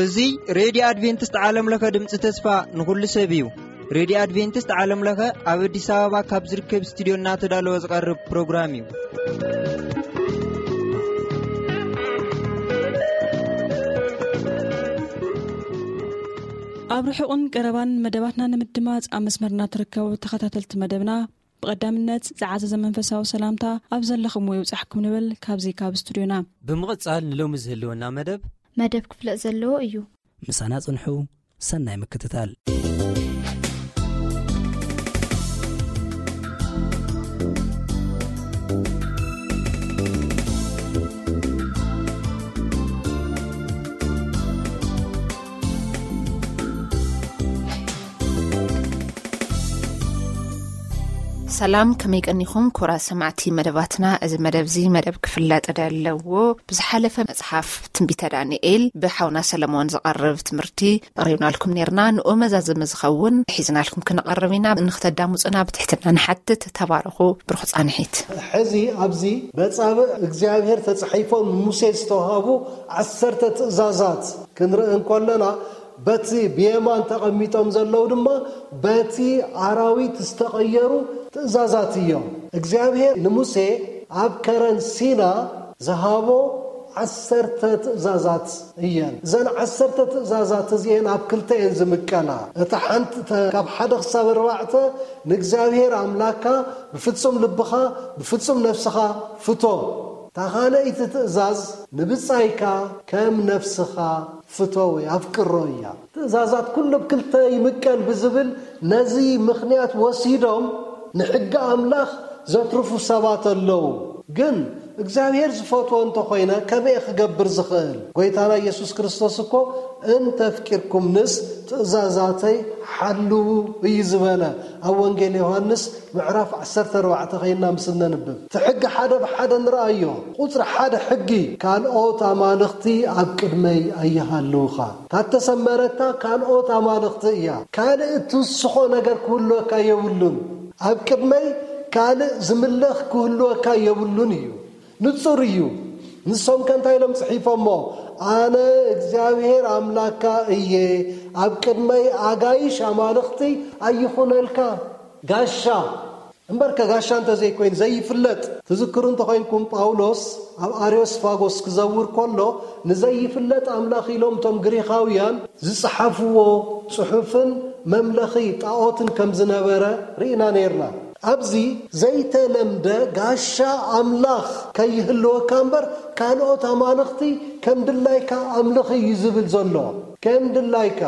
እዚ ሬድዮ ኣድቬንቲስት ዓለም ለኸ ድምፂ ተስፋ ንኹሉ ሰብ እዩ። ሬድዮ ኣድቬንቲስት ዓለም ለኸ ኣብ ኣዲስ ኣበባ ካብ ዝርከብ ስቱዲዮ እናተዳለወ ዝቐርብ ፕሮግራም እዩ። ኣብ ርሑቕን ቀረባን መደባትና ንምድማፅ ኣብ መስመርና ትርከቡ ተኸታተልቲ መደብና፣ ብቐዳምነት ዝዓዘዘ መንፈሳዊ ሰላምታ ኣብ ዘለኹምዎ ይብጻሕኩም ንብል ካብዚ ካብ ስቱዲዮና። ብምቕጻል ንሎሚ ዝህልወና መደብ መደብ ክፍለጥ ዘለዎ እዩ። ምሳና ጽንሑ። ሰናይ ምክትታል። ሰላም፣ ከመይ ቀኒኹም ክቡራት ሰማዕቲ መደባትና? እዚ መደብ እዚ መደብ ክፍለጥ ዘለዎ ብዝሓለፈ መጽሓፍ ትንቢተ ዳንኤል ብሓውና ሰለሞን ዝቐርብ ትምህርቲ ኣቕሪብናልኩም ኔርና። ንኡ መዛዘሚ ዝኸውን ሒዝናልኩም ክንቐርብ ኢና። ንክተዳምጹና ብትሕትና ንሓትት። ተባረኹ። ብሩኽ ጻንሒት። ሕዚ ኣብዚ በጻብእ እግዚኣብሔር ተጻሒፎም ንሙሴ ዝተዋህቡ ዓሰርተ ትእዛዛት ክንርኢ እንከለና፣ በቲ ብየማን ተቐሚጦም ዘለዉ ድማ በቲ ኣራዊት ዝተቐየሩ ትእዛዛት እዮም። እግዚኣብሔር ንሙሴ ኣብ ከረን ሲና ዝሃቦ ዓሰርተ ትእዛዛት እየን። እዘን ዓሰርተ ትእዛዛት እዚኤን ኣብ ክልተ እየን ዝምቀላ። እታ ሓንቲ፣ እታ ካብ ሓደ ክሳብ ኣርባዕተ፣ ንእግዚኣብሔር ኣምላካ ብፍጹም ልብኻ፣ ብፍጹም ነፍስኻ ፍቶ። እታ ካልኣይቲ ትእዛዝ፣ ንብጻይካ ከም ነፍስኻ ፍቶ ወይ ኣፍቅሮ እያ። ትእዛዛት ኩሉ ብክልተ ይምቀል ብዝብል ነዚ ምኽንያት ወሲዶም ንሕጊ ኣምላኽ ዘትርፉ ሰባት ኣለዉ። ግን እግዚኣብሔር ዝፈትዎ እንተኾይነ ከመይ ክገብር ዝኽእል? ጎይታና ኢየሱስ ክርስቶስ እኮ "እንተፍቂርኩምንስ ትእዛዛተይ ሓልዉ" እዩ ዝበለ። ኣብ ወንጌል ዮሃንስ ምዕራፍ ዓሰርተ ኣርባዕተ ኸይና ምስ እነንብብ፣ እቲ ሕጊ ሓደ ብሓደ ንረኣዮ። ቁጽሪ ሓደ ሕጊ፣ "ካልኦት ኣማልኽቲ ኣብ ቅድመይ ኣይሃልውኻ።" እታ እተሰመረታ ካልኦት ኣማልኽቲ እያ። ካልእ እትውስኾ ነገር ክህልወካ የብሉን። ኣብ ቅድመይ ካልእ ዝምለኽ ክህልወካ የብሉን እዩ። ንጹር እዩ። ንሶም ከ እንታይ ኢሎም ጽሒፎሞ? "ኣነ እግዚኣብሔር ኣምላካ እየ፣ ኣብ ቅድመይ ኣጋይሽ ኣማልኽቲ ኣይኹነልካ።" ጋሻ እምበርከ ጋሻ እንተዘይኮይኑ ዘይፍለጥ። ትዝክሩ እንተኾይንኩም፣ ጳውሎስ ኣብ ኣርዮስፋጎስ ክዘውር ከሎ፣ ንዘይፍለጥ ኣምላኽ ኢሎም እቶም ግሪኻውያን ዝጸሓፍዎ ጽሑፍን መምለኺ ጣኦትን ከም ዝነበረ ርኢና ነይርና። ኣብዚ ዘይተለምደ ጋሻ ኣምላኽ ከይህልወካ እምበር፣ ካልኦት ኣማልኽቲ ከም ድላይካ ኣምልኽ እዩ ዝብል ዘሎ። ከም ድላይካ።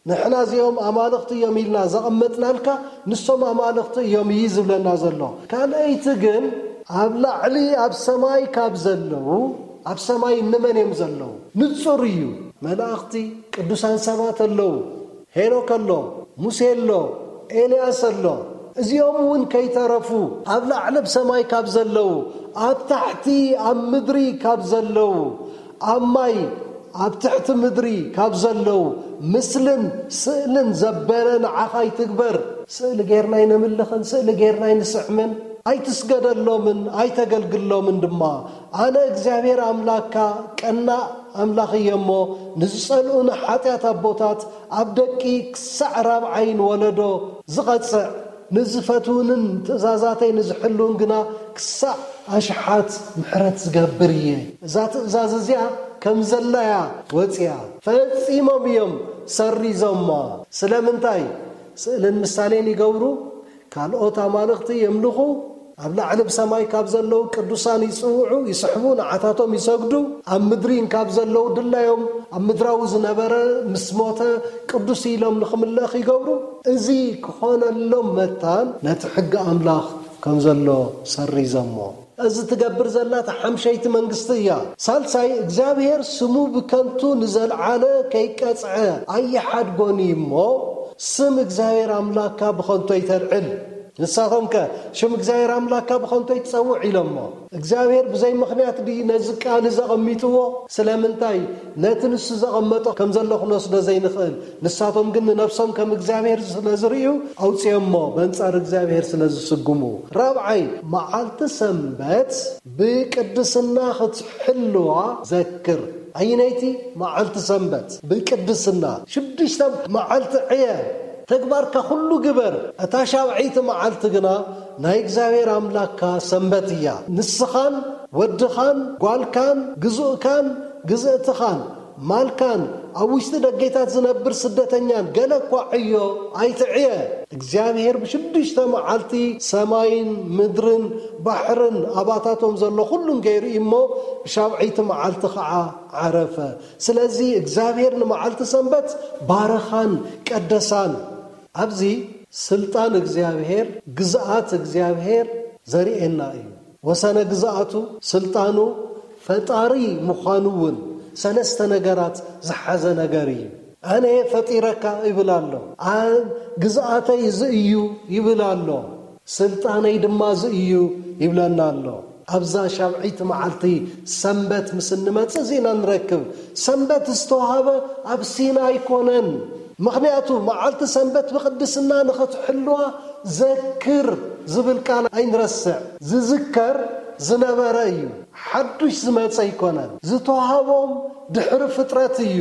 ንሕና እዚኦም ኣማልኽቲ እዮም ኢልና ዘቐመጥናልካ፣ ንሶም ኣማልኽቲ እዮም እዩ ዝብለና ዘሎ። ካልኣይቲ ግን፣ ኣብ ላዕሊ ኣብ ሰማይ ካብ ዘለዉ፣ ኣብ ሰማይ እንመን እዮም ዘለዉ? ንጹር እዩ። መላእኽቲ፣ ቅዱሳን ሰባት ኣለዉ። ሄኖክ ኣሎ፣ ሙሴ ኣሎ፣ ኤልያስ ኣሎ። እዚኦም እውን ከይተረፉ፣ ኣብ ላዕሊ ኣብ ሰማይ ካብ ዘለዉ፣ ኣብ ታሕቲ ኣብ ምድሪ ካብ ዘለዉ፣ ኣብ ማይ ኣብ ትሕቲ ምድሪ ካብ ዘለዉ፣ ምስልን ስእልን ዘበለ ንዓኻ ይትግበር። ስእሊ ጌርና ኣይነምልኽን፣ ስእሊ ጌርና ኣይንስዕምን። ኣይትስገደሎምን ኣይተገልግሎምን ድማ። ኣነ እግዚኣብሔር ኣምላክካ ቀናእ ኣምላኽ እየ እሞ፣ ንዝጸልኡኒ ሓጢኣት ኣቦታት ኣብ ደቂ ክሳዕ ራብዓይን ወለዶ ዝቐጽዕ፣ ንዝፈትውንን ትእዛዛተይ ንዝሕልውን ግና ክሳዕ ኣሽሓት ምሕረት ዝገብር እየ። እዛ ትእዛዝ እዚኣ ከም ዘላያ ወጽያ፣ ፈጺሞም እዮም ሰሪዞማ። ስለምንታይ? ስእልን ምሳሌን ይገብሩ፣ ካልኦት ኣማልኽቲ የምልኹ፣ ኣብ ላዕሊ ብሰማይ ካብ ዘለዉ ቅዱሳን ይጽውዑ፣ ይስሕቡ፣ ንዓታቶም ይሰግዱ፣ ኣብ ምድሪ እንካብ ዘለዉ ድላዮም ኣብ ምድራዊ ዝነበረ ምስ ሞተ ቅዱስ ኢሎም ንኽምለኽ ይገብሩ። እዚ ክኾነሎም መታን ነቲ ሕጊ ኣምላኽ ከም ዘሎ ሰሪዞሞ። እዚ ትገብር ዘላ እታ ሓምሸይቲ መንግስቲ እያ። ሳልሳይ፣ እግዚኣብሔር ስሙ ብከንቱ ንዘልዓለ ከይቀጽዐ ኣይሓድጎን እዩ እሞ፣ ስም እግዚኣብሔር ኣምላክካ ብኸንቱ ኣይተልዕል። ንሳቶምከ ሽም እግዚኣብሔር ኣምላክካ ብኸንቱ ኣይትጸውዕ ኢሎሞ። እግዚኣብሔር ብዘይ ምኽንያት ድዩ ነዚ ቃል እዚ ኣቐሚጥዎ? ስለምንታይ? ነቲ ንሱ ዘቐመጦ ከም ዘሎ ክንወስዶ ዘይንኽእል። ንሳቶም ግን ንነፍሶም ከም እግዚኣብሔር ስለ ዝርእዩ ኣውጽኦሞ፣ በንጻር እግዚኣብሔር ስለ ዝስጉሙ። ራብዓይ፣ መዓልቲ ሰንበት ብቅድስና ክትሕልዋ ዘክር። ኣየነይቲ መዓልቲ ሰንበት ብቅድስና? ሽዱሽተ መዓልቲ ዕየ፣ ተግባርካ ኩሉ ግበር። እታ ሻብዐይቲ መዓልቲ ግና ናይ እግዚኣብሔር ኣምላክካ ሰንበት እያ። ንስኻን ወድኻን ጓልካን ግዙእካን ግዝእትኻን ማልካን ኣብ ውሽጢ ደጌታት ዝነብር ስደተኛን ገለ እኳ ዕዮ ኣይትዕየ። እግዚኣብሔር ብሽዱሽተ መዓልቲ ሰማይን ምድርን ባሕርን ኣባታቶም ዘሎ ኩሉን ገይሩ እዩ እሞ፣ ብሻብዐይቲ መዓልቲ ኸዓ ዓረፈ። ስለዚ እግዚኣብሔር ንመዓልቲ ሰንበት ባረኻን ቀደሳን። ኣብዚ ስልጣን እግዚኣብሔር፣ ግዝኣት እግዚኣብሔር ዘርእየና እዩ። ወሰነ ግዝኣቱ፣ ስልጣኑ፣ ፈጣሪ ምዃኑ እውን ሰለስተ ነገራት ዝሓዘ ነገር እዩ። ኣነ ፈጢረካ ይብል ኣሎ። ኣ-፣ ግዝኣተይ እዚ እዩ ይብል ኣሎ። ስልጣነይ ድማ እዚ እዩ ይብለና ኣሎ። ኣብዛ ሻብዐይቲ መዓልቲ ሰንበት ምስ እንመጽእ እዚ ኢና ንረክብ። ሰንበት ዝተዋህበ ኣብ ሲና ኣይኮነን። ምኽንያቱ መዓልቲ ሰንበት ብቅድስና ንኽትሕልዋ ዘክር ዝብል ቃል ኣይንረስዕ። ዝዝከር ዝነበረ እዩ። ሓዱሽ ዝመጸ ኣይኮነን። ዝተዋህቦም ድሕሪ ፍጥረት እዩ።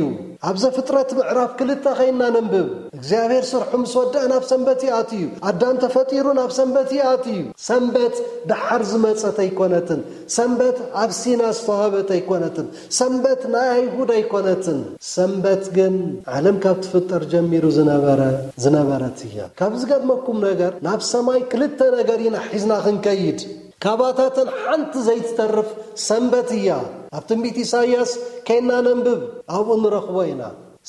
ኣብ ዘፍጥረት ምዕራፍ ክልተ ኸይና ነንብብ። እግዚኣብሔር ስርሑ ምስ ወደአ ናብ ሰንበት ይኣትዩ። ኣዳም ተፈጢሩ ናብ ሰንበት ይኣትዩ። ሰንበት ደሓር ዝመጸት ኣይኮነትን። ሰንበት ኣብ ሲና ዝተዋህበት ኣይኮነትን። ሰንበት ናይ ኣይሁድ ኣይኮነትን። ሰንበት ግን ዓለም ካብ ትፍጠር ጀሚሩ ዝነበረ፣ ዝነበረት እያ። ካብ ዝገርመኩም ነገር፣ ናብ ሰማይ ክልተ ነገር ኢና ሒዝና ክንከይድ። ካባታተን ሓንቲ ዘይትተርፍ ሰንበት እያ። ኣብ ትንቢት ኢሳይያስ ከይና ነንብብ፣ ኣብኡ ንረኽቦ ኢና።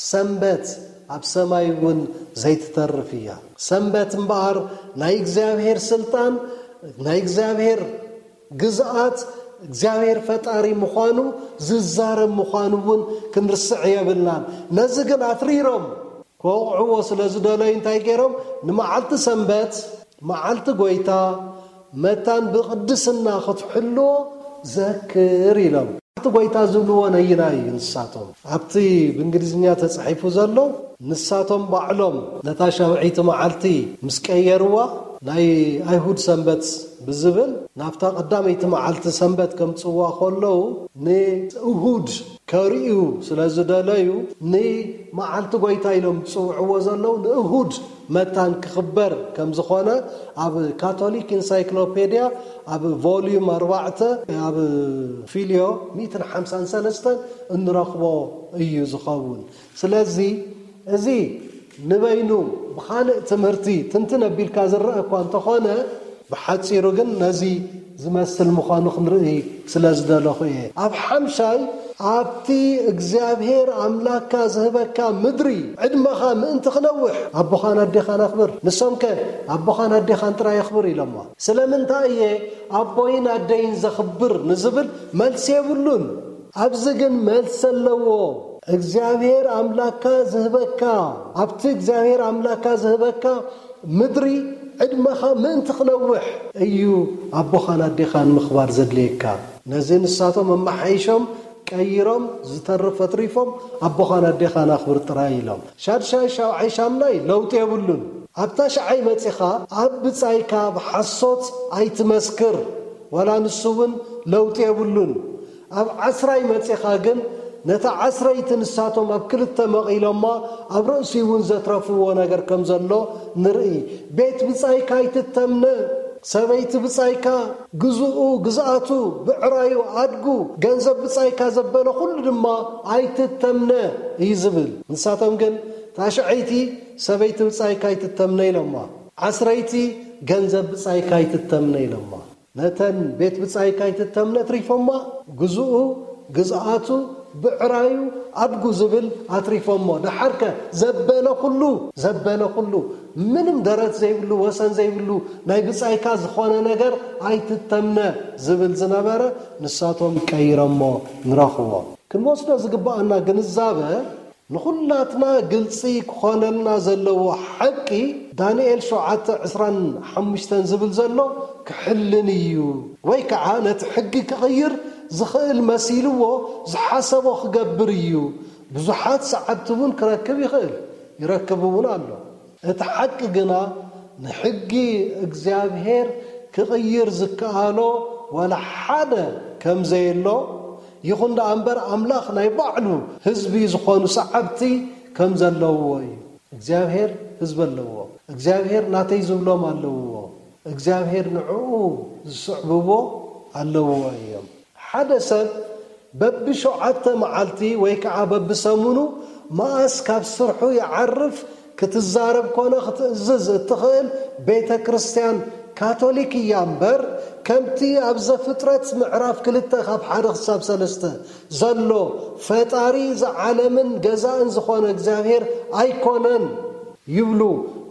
ሰንበት ኣብ ሰማይ እውን ዘይትተርፍ እያ። ሰንበት እምበኣር ናይ እግዚኣብሔር ስልጣን፣ ናይ እግዚኣብሔር ግዝኣት፣ እግዚኣብሔር ፈጣሪ ምዃኑ ዝዛረብ ምዃኑ እውን ክንርስዕ የብልናን። ነዚ ግን ኣትሪሮም ክወቕዕዎ ስለ ዝደለዩ እንታይ ገይሮም? ንመዓልቲ ሰንበት፣ መዓልቲ ጐይታ፣ መታን ብቕድስና ክትሕልዎ ዘክር ኢሎም። መዓልቲ ጐይታ ዝብልዎ ነይናይ እዩ ንሳቶም። ኣብቲ ብእንግሊዝኛ ተጻሒፉ ዘሎ፣ ንሳቶም ባዕሎም ነታ ሻብዐይቲ መዓልቲ ምስ ቀየርዋ፣ ናይ ኣይሁድ ሰንበት ብዝብል ናብታ ቀዳመይቲ መዓልቲ ሰንበት ከምጽዋ ከለዉ፣ ንእሁድ ከርእዩ ስለ ዝደለዩ፣ ንመዓልቲ ጐይታ ኢሎም ዝጽውዕዎ ዘለዉ፣ ንእሁድ መታን ክኽበር ከም ዝኾነ ኣብ ካቶሊክ ኢንሳይክሎፔድያ ኣብ ቮልዩም ኣርባዕተ ኣብ ፊልዮ ሚእትን ሓምሳን ሰለስተን እንረኽቦ እዩ ዝኸውን። ስለዚ እዚ ንበይኑ ብኻልእ ትምህርቲ ትንትን ኣቢልካ ዝረአ እኳ እንተኾነ፣ ብሓጺሩ ግን ነዚ ዝመስል ምዃኑ ክንርኢ ስለ ዝደለኹ እየ። ኣብ ሓምሻይ፣ ኣብቲ እግዚኣብሔር ኣምላክካ ዝህበካ ምድሪ ዕድመኻ ምእንቲ ክነውሕ ኣቦኻን ኣዴኻን ኣኽብር። ንሶምከ ኣቦኻን ኣዴኻን ጥራይ ኣኽብር ኢሎማ። ስለምንታይ እየ ኣቦይን ኣደይን ዘኽብር ንዝብል መልሲ የብሉን። ኣብዚ ግን መልሲ ኣለዎ። እግዚኣብሔር ኣምላክካ ዝህበካ፣ ኣብቲ እግዚኣብሔር ኣምላክካ ዝህበካ ምድሪ ዕድመኻ ምእንቲ ክነውሕ እዩ ኣቦኻን ኣዴኻን ምኽባር ዘድልየካ። ነዚ ንሳቶም ኣመሓይሾም ቀይሮም፣ ዝተርፍ ኣትሪፎም ኣቦኻን ኣዴኻን ኣኽብር ጥራይ ኢሎም። ሻድሻይ፣ ሻብዓይ፣ ሻምናይ ለውጢ የብሉን። ኣብ ታሽዓይ መጺኻ ኣብ ብጻይካ ብሓሶት ኣይትመስክር፣ ዋላ ንሱ እውን ለውጢ የብሉን። ኣብ ዓስራይ መጺኻ ግን ነታ ዓስረይቲ ንሳቶም ኣብ ክልተ መቒሎማ ኣብ ርእሲ እውን ዘትረፍዎ ነገር ከም ዘሎ ንርኢ። ቤት ብጻይካ ኣይትተምነ፣ ሰበይቲ ብጻይካ፣ ግዝኡ፣ ግዝኣቱ፣ ብዕራዩ፣ ኣድጉ፣ ገንዘብ ብጻይካ ዘበለ ኩሉ ድማ ኣይትተምነ እዩ ዝብል። ንሳቶም ግን ታሽዐይቲ ሰበይቲ ብጻይካ ኣይትተምነ ኢሎማ። ዓስረይቲ ገንዘብ ብጻይካ ኣይትተምነ ኢሎማ። ነተን ቤት ብጻይካ ኣይትተምነ ኣትሪፎማ፣ ግዝኡ፣ ግዝኣቱ፣ ብዕራዩ፣ ኣድጉ ዝብል ኣትሪፎሞ። ደሓርከ ዘበለ ኩሉ፣ ዘበለ ኩሉ፣ ምንም ደረት ዘይብሉ፣ ወሰን ዘይብሉ፣ ናይ ብጻይካ ዝኾነ ነገር ኣይትተምነ ዝብል ዝነበረ፣ ንሳቶም ቀይሮሞ ንረኽቦ። ክንወስዶ ዝግብኣና ግንዛበ፣ ንኹላትና ግልጺ ክኾነልና ዘለዎ ሓቂ፣ ዳንኤል ሸውዓተ ዕስራን ሓሙሽተን ዝብል ዘሎ ክሕልን እዩ፣ ወይ ከዓ ነቲ ሕጊ ክቕይር ዝኽእል መሲልዎ ዝሓሰቦ ክገብር እዩ። ብዙሓት ሰዓብቲ እውን ክረክብ ይኽእል፣ ይረክብ እውን ኣሎ። እቲ ሓቂ ግና፣ ንሕጊ እግዚኣብሔር ክቕይር ዝከኣሎ ዋላ ሓደ ከም ዘየሎ፣ ይኹን ደኣ እምበር፣ ኣምላኽ ናይ ባዕሉ ህዝቢ ዝኾኑ ሰዓብቲ ከም ዘለውዎ እዩ። እግዚኣብሔር ህዝቢ ኣለዎ። እግዚኣብሔር ናተይ ዝብሎም ኣለውዎ። እግዚኣብሔር ንዕኡ ዝስዕብዎ ኣለውዎ እዮም። ሓደ ሰብ በብሸውዓተ መዓልቲ ወይ ከዓ በብሰሙኑ መኣስ ካብ ስርሑ ይዓርፍ ክትዛረብ ኮነ ክትእዝዝ እትኽእል ቤተ ክርስቲያን ካቶሊክ እያ እምበር፣ ከምቲ ኣብ ዘፍጥረት ምዕራፍ ክልተ ካብ ሓደ ክሳብ ሰለስተ ዘሎ፣ ፈጣሪ ዝዓለምን ገዛእን ዝኾነ እግዚኣብሔር ኣይኮነን ይብሉ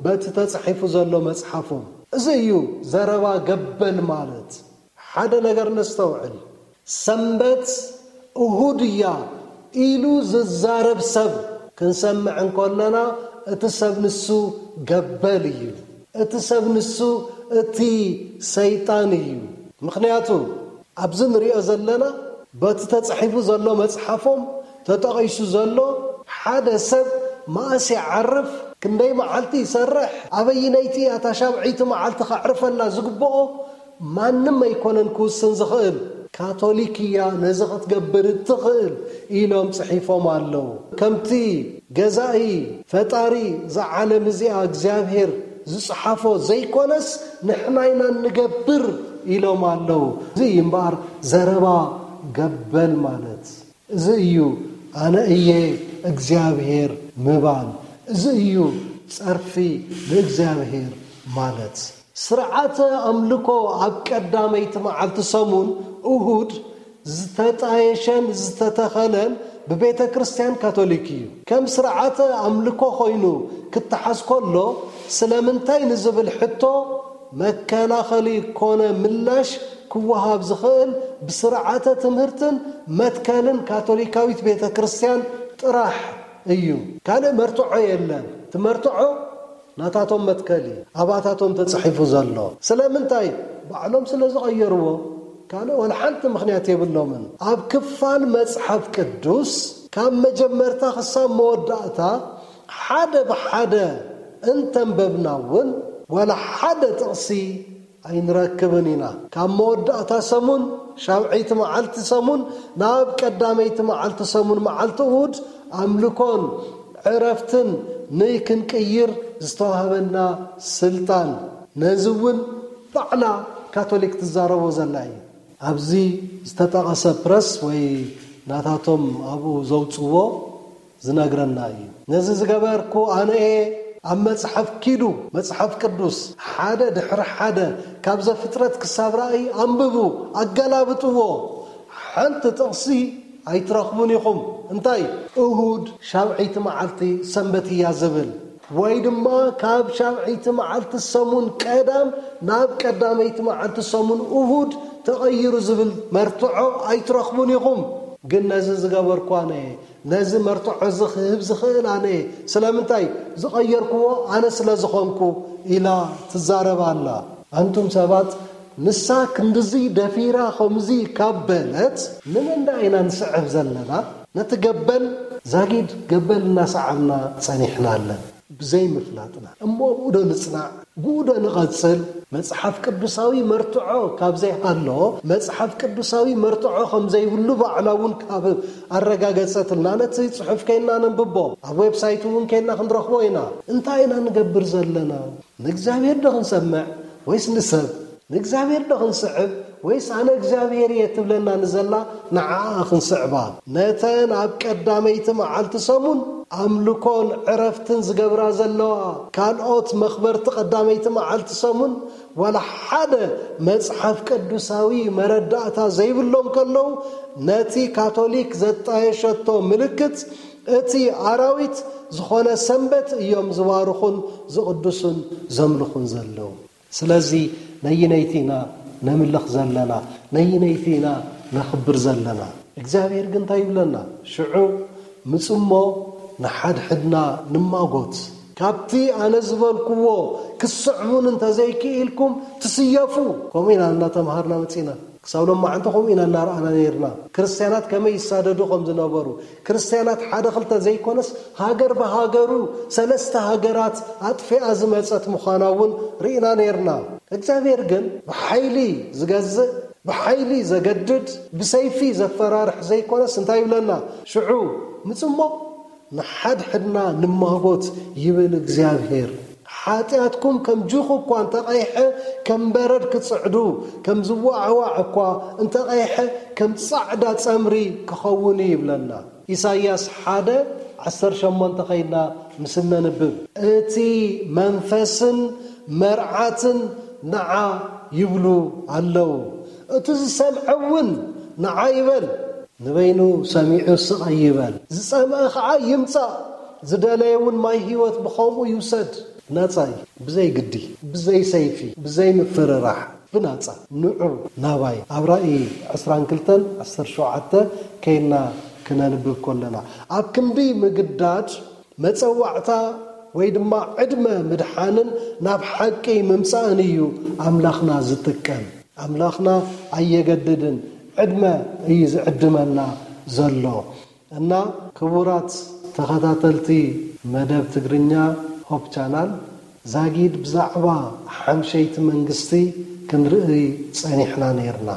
በቲ ተጻሒፉ ዘሎ መጽሓፎም። እዚ እዩ ዘረባ ገበል ማለት። ሓደ ነገር ነስተውዕል። ሰንበት እሁድ እያ ኢሉ ዝዛረብ ሰብ ክንሰምዕ እንከለና፣ እቲ ሰብ ንሱ ገበል እዩ። እቲ ሰብ ንሱ እቲ ሰይጣን እዩ። ምኽንያቱ፣ ኣብዚ ንሪኦ ዘለና፣ በቲ ተጻሒፉ ዘሎ መጽሓፎም ተጠቒሱ ዘሎ፣ ሓደ ሰብ መኣስ ይዓርፍ፣ ክንደይ መዓልቲ ይሰርሕ፣ ኣበይነይቲ እያ እታ ሻብዐይቲ መዓልቲ ከዕርፈላ ዝግብኦ፣ ማንም ኣይኮነን ክውስን ዝኽእል። ካቶሊክ እያ ነዚ ክትገብር እትኽእል ኢሎም ጽሒፎም ኣለዉ። ከምቲ ገዛኢ ፈጣሪ እዛ ዓለም እዚኣ እግዚኣብሔር ዝጽሓፎ ዘይኮነስ፣ ንሕና ኢና እንገብር ኢሎም ኣለዉ። እዚ እዩ እምበኣር ዘረባ ገበል ማለት። እዚ እዩ ኣነ እየ እግዚኣብሔር ምባል። እዚ እዩ ጸርፊ ንእግዚኣብሔር ማለት። ስርዓተ ኣምልኮ ኣብ ቀዳመይቲ መዓልቲ ሰሙን፣ እሁድ፣ ዝተጣየሸን ዝተተኸለን ብቤተ ክርስቲያን ካቶሊክ እዩ። ከም ስርዓተ ኣምልኮ ኮይኑ ክተሓዝ ከሎ፣ ስለምንታይ ንዝብል ሕቶ መከላኸሊ ኮነ ምላሽ ክወሃብ ዝኽእል ብስርዓተ ትምህርትን መትከልን ካቶሊካዊት ቤተ ክርስቲያን ጥራሕ እዩ። ካልእ መርትዖ የለን። እቲ መርትዖ ናታቶም መትከል እዩ፣ ኣባታቶም ተጻሒፉ ዘሎ። ስለምንታይ? ባዕሎም ስለ ዝቐየርዎ። ካልእ ወላ ሓንቲ ምኽንያት የብሎምን። ኣብ ክፋል መጽሓፍ ቅዱስ ካብ መጀመርታ ክሳብ መወዳእታ ሓደ ብሓደ እንተንበብና እውን ወላ ሓደ ጥቕሲ ኣይንረክብን ኢና። ካብ መወዳእታ ሰሙን፣ ሻብዐይቲ መዓልቲ ሰሙን፣ ናብ ቀዳመይቲ መዓልቲ ሰሙን፣ መዓልቲ እሁድ፣ ኣምልኮን ዕረፍትን ንክንቅይር ዝተዋህበና ስልጣን። ነዚ እውን ባዕላ ካቶሊክ ትዛረቦ ዘላ እዩ። ኣብዚ ዝተጠቐሰ ፕረስ ወይ ናታቶም ኣብኡ ዘውፅዎ ዝነግረና እዩ። ነዚ ዝገበርኩ ኣነ እየ። ኣብ መጽሓፍ ኪዱ፣ መጽሓፍ ቅዱስ፣ ሓደ ድሕሪ ሓደ፣ ካብ ዘፍጥረት ክሳብ ራእይ ኣንብቡ፣ ኣገላብጥዎ። ሓንቲ ጥቕሲ ኣይትረኽቡን ኢኹም። እንታይ? እሁድ ሻብዐይቲ መዓልቲ ሰንበት እያ ዝብል፣ ወይ ድማ ካብ ሻብዐይቲ መዓልቲ ሰሙን ቀዳም ናብ ቀዳመይቲ መዓልቲ ሰሙን እሁድ ተቐይሩ ዝብል መርትዖ ኣይትረኽቡን ኢኹም። ግን ነዚ ዝገበርኩ ኣነ እየ። ነዚ መርትዖ እዚ ክህብ ዝኽእል ኣነ እየ። ስለምንታይ? ዝቐየርክዎ ኣነ ስለ ዝኾንኩ ኢላ ትዛረብ ኣላ። ኣንቱም ሰባት፣ ንሳ ክንድዚ ደፊራ ከምዚ ካብ በለት፣ ንመን ደኣ ኢና ንስዕብ ዘለና? ነቲ ገበል ዛጊድ ገበል እናሰዓብና ጸኒሕና ኣለና። ብዘይምፍላጥና። እሞ ብኡ ዶ ንጽናዕ? ብኡ ዶ ንቐጽል? መጽሓፍ ቅዱሳዊ መርትዖ ካብ ዘይሃሎ፣ መጽሓፍ ቅዱሳዊ መርትዖ ከም ዘይብሉ ባዕላ እውን ካብ ኣረጋገጸትልና፣ ነቲ ጽሑፍ ከይና ነንብቦ፣ ኣብ ዌብሳይት እውን ከይና ክንረኽቦ ኢና። እንታይ ኢና ንገብር ዘለና? ንእግዚኣብሔር ዶ ክንሰምዕ ወይስ ንሰብ? ንእግዚኣብሔር ዶ ክንስዕብ ወይስ ኣነ እግዚኣብሔር እየ ትብለና ንዘላ ንዓኣ ክንስዕባ? ነተን ኣብ ቀዳመይቲ መዓልቲ ሰሙን ኣምልኮን ዕረፍትን ዝገብራ ዘለዋ ካልኦት መኽበርቲ ቀዳመይቲ መዓልቲ ሰሙን ዋላ ሓደ መጽሓፍ ቅዱሳዊ መረዳእታ ዘይብሎም ከለዉ፣ ነቲ ካቶሊክ ዘጣየሸቶ ምልክት እቲ ኣራዊት ዝኾነ ሰንበት እዮም ዝባርኹን ዝቕድሱን ዘምልኹን ዘለዉ። ስለዚ ነይነይቲ ኢና ነምልኽ ዘለና፣ ነይነይቲ ኢና ነኽብር ዘለና። እግዚኣብሔር ግን እንታይ ይብለና? ሽዑ ምጹ እሞ ንሓድሕድና ንማጎት። ካብቲ ኣነ ዝበልክዎ ክስዕሙን እንተዘይክኢልኩም ትስየፉ። ከምኡ ኢና እናተምሃርና መጺና። ክሳብ ሎማዓንቲ ከምኡ ኢና እናረኣና ነይርና። ክርስትያናት ከመይ ይሳደዱ ከም ዝነበሩ፣ ክርስትያናት ሓደ ክልተ ዘይኮነስ ሃገር ብሃገሩ ሰለስተ ሃገራት ኣጥፊኣ ዝመጸት ምዃና እውን ርኢና ነይርና። እግዚኣብሔር ግን ብሓይሊ ዝገዝእ፣ ብሓይሊ ዘገድድ፣ ብሰይፊ ዘፈራርሕ ዘይኮነስ እንታይ ይብለና? ሽዑ ምጽሞ ንሓድሕድና ንማጎት ይብል እግዚኣብሔር። ሓጢኣትኩም ከም ጁኽ እኳ እንተቐይሐ፣ ከም በረድ ክጽዕዱ፣ ከም ዝዋዕዋዕ እኳ እንተቐይሐ፣ ከም ጻዕዳ ጸምሪ ክኸውን እዩ ይብለና። ኢሳይያስ ሓደ ዓሰርተ ሸሞንተ ኸይድና ምስ እነንብብ፣ እቲ መንፈስን መርዓትን ንዓ ይብሉ ኣለዉ። እቲ ዝሰምዐ እውን ንዓ ይበል። ንበይኑ ሰሚዑ ስቕ ኣይበል። ዝጸምአ ኸዓ ይምጻእ። ዝደለየ እውን ማይ ህይወት ብኸምኡ ይውሰድ። ብናጻ እዩ። ብዘይ ግዲ፣ ብዘይ ሰይፊ፣ ብዘይ ምፍርራሕ፣ ብናጻ። ንዑ ናባይ። ኣብ ራእይ ዕስራን ክልተን ዓሰርተ ሸውዓተ ከይና ክነንብብ ከለና፣ ኣብ ክንዲ ምግዳድ መጸዋዕታ ወይ ድማ ዕድመ ምድሓንን ናብ ሓቂ ምምጻእን እዩ ኣምላኽና ዝጥቀም። ኣምላኽና ኣየገድድን፣ ዕድመ እዩ ዝዕድመና ዘሎ። እና ክቡራት ተኸታተልቲ መደብ ትግርኛ ሆፕ ቻናል፣ ዛጊድ ብዛዕባ ሓምሸይቲ መንግስቲ ክንርኢ ጸኒሕና ነይርና።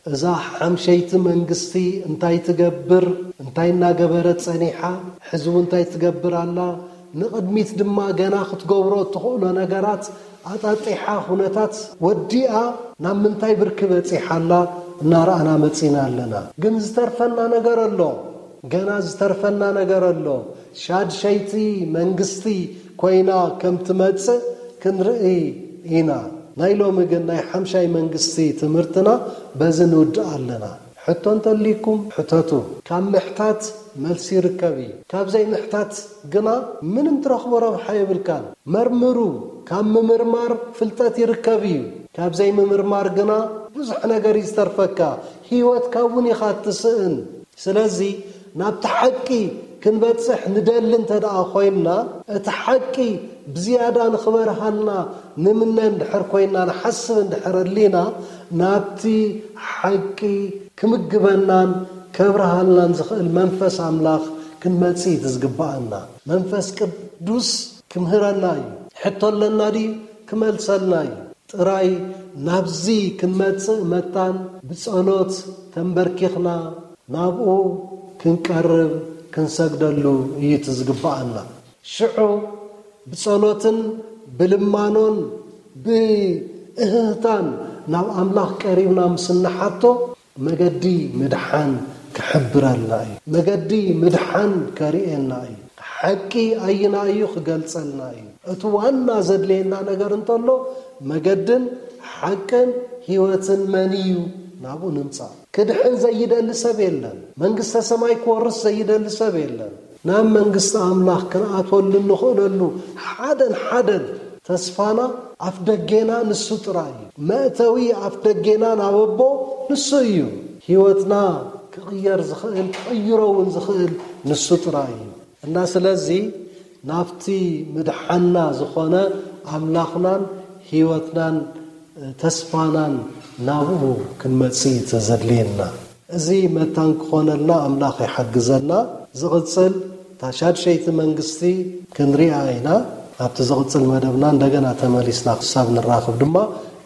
እዛ ሓምሸይቲ መንግስቲ እንታይ ትገብር፣ እንታይ እናገበረት ጸኒሓ፣ ሕዚ እውን እንታይ ትገብር ኣላ፣ ንቕድሚት ድማ ገና ክትገብሮ እትኽእሎ ነገራት ኣጣጢሓ፣ ኩነታት ወዲኣ ናብ ምንታይ ብርኪ በጺሓ ኣላ እናረኣና መጺና ኣለና። ግን ዝተርፈና ነገር ኣሎ። ገና ዝተርፈና ነገር ኣሎ። ሻድሸይቲ መንግስቲ ኮይና ከም ትመጽእ ክንርኢ ኢና። ናይ ሎሚ ግን ናይ ሓምሻይ መንግስቲ ትምህርትና በዚ ንውድእ ኣለና። ሕቶ እንተልይኩም ሕተቱ። ካብ ምሕታት መልሲ ይርከብ እዩ። ካብ ዘይምሕታት ግና ምንም ትረኽቦ ረብሓ የብልካን። መርምሩ። ካብ ምምርማር ፍልጠት ይርከብ እዩ። ካብ ዘይምምርማር ግና ብዙሕ ነገር እዩ ዝተርፈካ። ህይወትካ እውን ኢኻ እትስእን። ስለዚ ናብቲ ሓቂ ክንበጽሕ ንደሊ እንተ ደኣ ኮይንና፣ እቲ ሓቂ ብዝያዳ ንኽበርሃልና ንምነ እንድሕር ኮይንና፣ ንሓስብ እንድሕር ኣሊና፣ ናብቲ ሓቂ ክምግበናን ከብርሃልናን ዝኽእል መንፈስ ኣምላኽ ክንመጽእ እዩ ዝግብኣና። መንፈስ ቅዱስ ክምህረና እዩ። ሕቶ ኣለና ድዩ? ክመልሰልና እዩ። ጥራይ ናብዚ ክንመጽእ መታን ብጸሎት ተንበርኪኽና ናብኡ ክንቀርብ ክንሰግደሉ እዩ እቲ ዝግብኣና። ሽዑ ብጸሎትን ብልማኖን ብእህህታን ናብ ኣምላኽ ቀሪብና ምስ እንሓቶ፣ መገዲ ምድሓን ክሕብረልና እዩ። መገዲ ምድሓን ከርእየና እዩ። ሓቂ ኣይና እዩ ክገልጸልና እዩ። እቲ ዋና ዘድልየና ነገር እንተሎ፣ መገድን ሓቅን ህይወትን መን እዩ? ናብኡ ንምጻእ። ክድሕን ዘይደሊ ሰብ የለን። መንግስተ ሰማይ ክወርስ ዘይደሊ ሰብ የለን። ናብ መንግስቲ ኣምላኽ ክንኣትወሉ እንኽእለሉ ሓደን ሓደን ተስፋና ኣፍ ደጌና ንሱ ጥራይ እዩ። መእተዊ ኣፍ ደጌና ናብ ኣቦ ንሱ እዩ። ህይወትና ክቕየር ዝኽእል፣ ክቕይሮ እውን ዝኽእል ንሱ ጥራይ እዩ። እና ስለዚ ናብቲ ምድሓና ዝኾነ ኣምላኽናን ህይወትናን ተስፋናን ናብኡ ክንመጽእ እዩ ዘድልየና። እዚ መታን ክኾነልና ኣምላኽ ይሓግዘና። ዝቕጽል እታ ሻድሸይቲ መንግስቲ ክንሪኣ ኢና። ኣብቲ ዝቕጽል መደብና እንደገና ተመሊስና ክሳብ ንራኽብ ድማ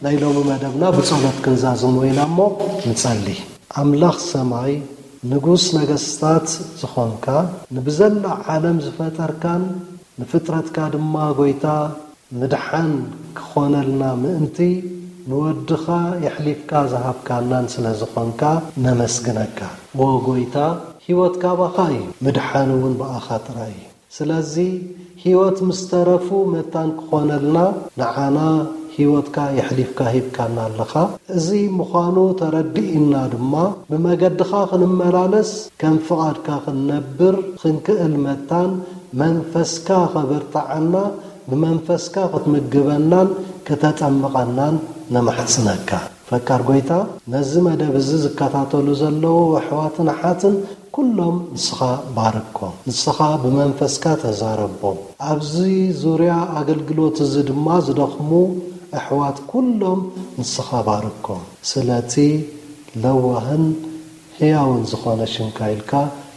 ናይ ሎሚ መደብና ብጸሎት ክንዛዝሞ ኢና እሞ ንጸሊ። ኣምላኽ ሰማይ ንጉስ ነገስታት ዝኾንካ፣ ንብዘላ ዓለም ዝፈጠርካን ንፍጥረትካ ድማ ጎይታ ምድሓን ክኾነልና ምእንቲ ንወድኻ የሕሊፍካ ዝሃብካናን ስለ ዝኾንካ ነመስግነካ። ዎ ጎይታ፣ ህይወት ካባኻ እዩ፣ ምድሓን እውን ብኣኻ ጥራይ እዩ። ስለዚ ህይወት ምስ ተረፉ መታን ክኾነልና ንዓና ህይወትካ የሕሊፍካ ሂብካና ኣለኻ። እዚ ምዃኑ ተረዲእና ድማ ብመገድኻ ክንመላለስ ከም ፍቓድካ ክንነብር ክንክእል መታን መንፈስካ ከበርትዓና ብመንፈስካ ክትምግበናን ክተጠምቐናን ነማሕጽነካ። ፈቃር ጎይታ፣ ነዚ መደብ እዚ ዝከታተሉ ዘለዉ ኣሕዋትን ኣሓትን ኩሎም ንስኻ ባርኮም፣ ንስኻ ብመንፈስካ ተዛረቦም። ኣብዚ ዙርያ ኣገልግሎት እዚ ድማ ዝደኽሙ ኣሕዋት ኩሎም ንስኻ ባርኮም። ስለቲ ለዋህን ህያውን ዝኾነ ሽምካ ኢልካ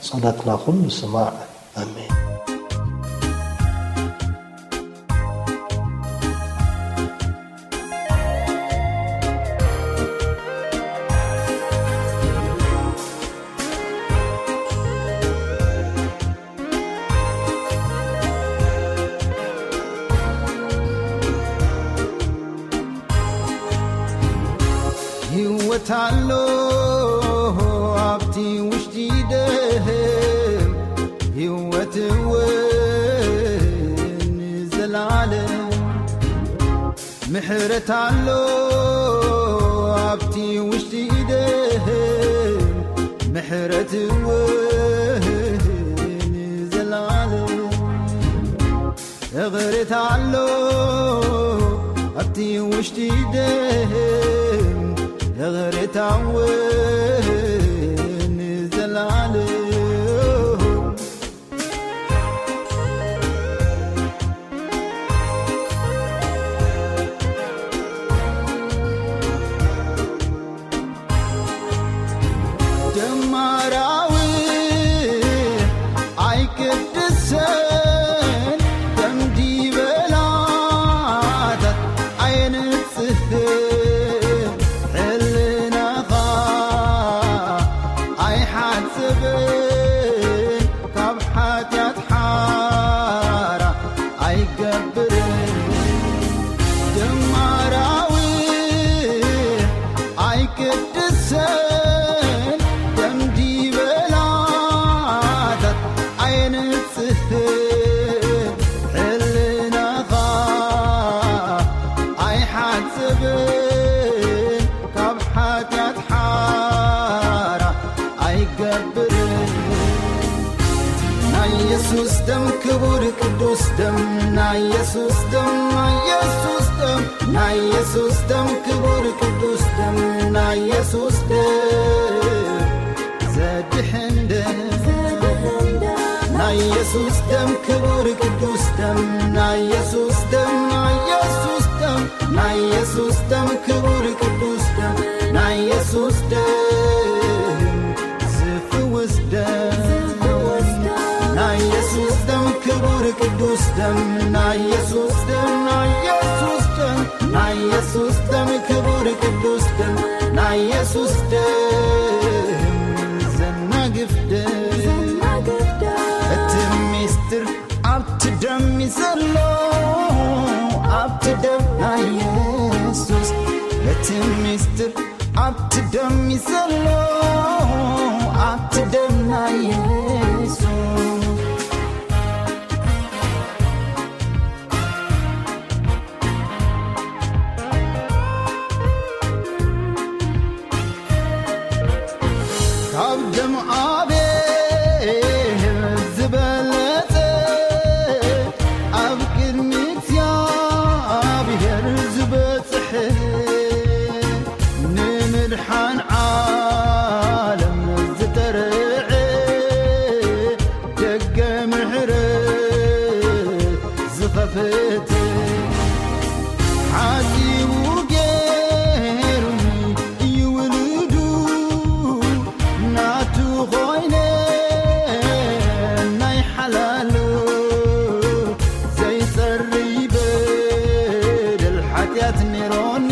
ጸሎትና ኩሉ ስማዕ። ኣሜን። ህይወት ኣሎ ኣብቲ ውሽጢ ደም፣ ህይወት እውን ንዘለዓለም። ምሕረት ኣሎ ኣብቲ ውሽጢ ደም፣ ምሕረት እውን ንዘለዓለም። እቕሬታ ኣሎ ኣብቲ ውሽጢ ደም፣ እቕሬታ እውን ንዘለዓለም። ደም ኣራዊሕ ኣይቅድስን፣ ደም ዲበላታት ኣየንጽህን፣ ሕልናኻ ኣይሓጽብን፣ ካብ ሓጢኣት ሓራ ኣይገብርን። ደም ኣራዊሕ ኣይቅድስን፣ ደም ዲበላታት ኣየንጽህን፣ ሕልናኻ ኣይሓጽብን፣ ካብ ሓጢኣት ሓራ ኣይገብርን። ናይ የሱስ ደም ክቡር ቅዱስ ደም፣ ናይ የሱስ ደም፣ ናይ የሱስ ደም፣ ናይ የሱስ ደም ክቡር ቅዱስ ደም፣ ናይ የሱስ ደም ዘድሕን ደም፣ ናይ የሱስ ደም ክቡር ቅዱስ ደም፣ ናይ የሱስ ደም፣ ናይ የሱስ ደም፣ ናይ የሱስ ደም ክቡር ቅዱስ ደም፣ ናይ የሱስ ደም ዝፍውስ ደም፣ ናይ የሱስ ደም ክቡር ቅዱስ ደም፣ ናይ የሱስ ደም፣ ናይ የሱስ ደም፣ ናይ የሱስ ደም ክቡር ቅዱስ ደም፣ ናይ የሱስ ደም ዘናግፍ ደም። እቲ ሚስጥር ኣብቲ ደም እዩ ዘሎ፣ ኣብቲ ደም ናይ የሱስ። እቲ ሚስጥር ኣብቲ ደም እዩ ዘሎ፣ ኣብቲ ደም ናይ የሱስ። ካብ ደም ኣቤል ዝበለጸ፣ ኣብ ቅድሚ እግዚኣብሔር ዝበጽሐ፣ ንምድሓን ዓለም ዝተርዐ፣ ደገ ምሕረት ዝኸፈተ፣ ሓጺቡ ገይሩኒ እዩ ውሉዱ፣ ናቱ ኾይነ ናይ ሓላሉ፣ ዘይጸሪ በደል ሓጢኣት ነይሮኒ፣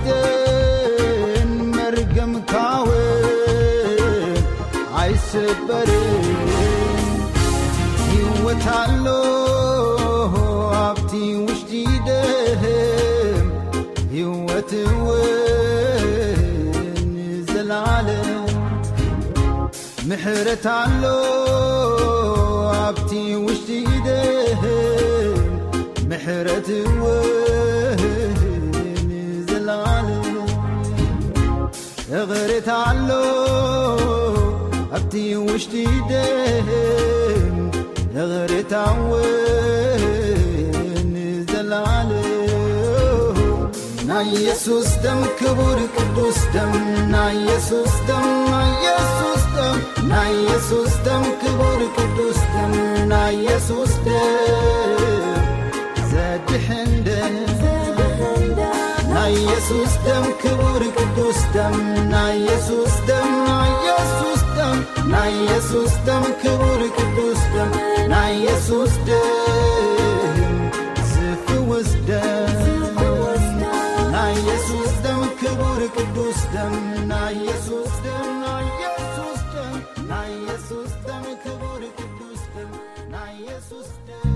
ደን መርገምካ እውን ኣይስበርን። ህይወት ኣሎ ኣብቲ ውሽጢ ደም፣ ህይወት እውን ንዘለዓለም። ምሕረት ኣሎ ኣብቲ ውሽጢ ደም፣ ምሕረት እውን ንዘለዓለም። እቕሬታ ኣሎ ኣብቲ ውሽጢ ደም፣ እቕሬታ እውን ንዘለዓለም። ናይ ኢየሱስ ደም ክቡር ቅዱስ ደም፣ ናይ ኢየሱስ ደም፣ ናይ ኢየሱስ ደም፣ ናይ ኢየሱስ ደም ክቡር ቅዱስ ደም፣ ናይ ኢየሱስ ደም ዘድሕን ደም፣ ናይ ኢየሱስ ደም ክቡር ቅዱስ ደም፣ ናይ ኢየሱስ ደም፣ ናይ ኢየሱስ ደም፣ ናይ ኢየሱስ ደም ክቡር ቅዱስ ደም፣ ናይ ኢየሱስ ደም ዝፍውስ ደም፣ ናይ ኢየሱስ ደም ክቡር ቅዱስ ደም፣ ናይ ኢየሱስ ደም፣ ናይ ኢየሱስ ደም፣ ናይ ኢየሱስ ደም ክቡር ቅዱስ ደም፣ ናይ ኢየሱስ ደም።